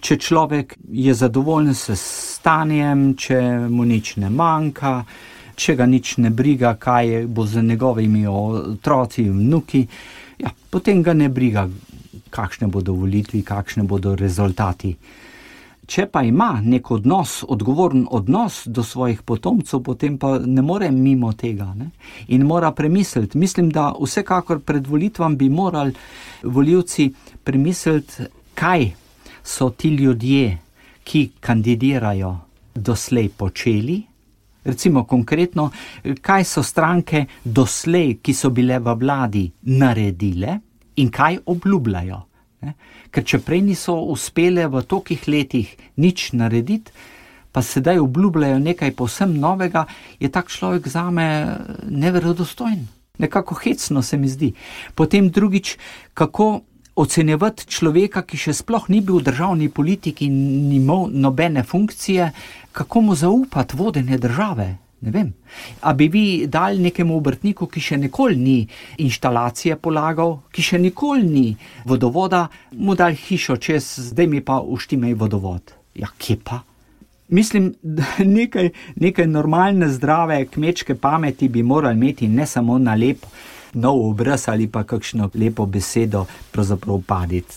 če človek je zadovoljen s stanjem, če mu nič ne manjka, če ga nič ne briga, kaj bo z njegovimi otroci in vnuki, ja, potem ga ne briga, kakšne bodo volitve, kakšne bodo rezultati. Če pa ima nek odnos, odgovoren odnos do svojih potomcev, potem pa ne more mimo tega, ne? In mora premisliti. Mislim, da vsekakor pred volitvami bi morali volivci premisliti, kaj so ti ljudje, ki kandidirajo, doslej počeli. Recimo konkretno, kaj so stranke doslej, ki so bile v vladi, naredile in kaj obljubljajo. Ker če prej niso uspele v tolikih letih nič narediti, pa sedaj obljubljajo nekaj povsem novega, je tak človek zame neverodostojen. Nekako hecno se mi zdi. Potem drugič, kako ocenjevati človeka, ki še sploh ni bil v državni politiki in ni imel nobene funkcije, kako mu zaupati vodenje države? Ne vem. A bi vi dali nekemu obrtniku, ki še nikoli ni inštalacije polagal, ki še nikoli ni vodovoda, mu dali hišo čez, zdaj mi pa uštimaj vodovod. Ja, kje pa? Mislim, da nekaj normalne, zdrave kmečke pameti bi morali imeti, ne samo na lep nov obraz ali pa kakšno lepo besedo pravzaprav paditi.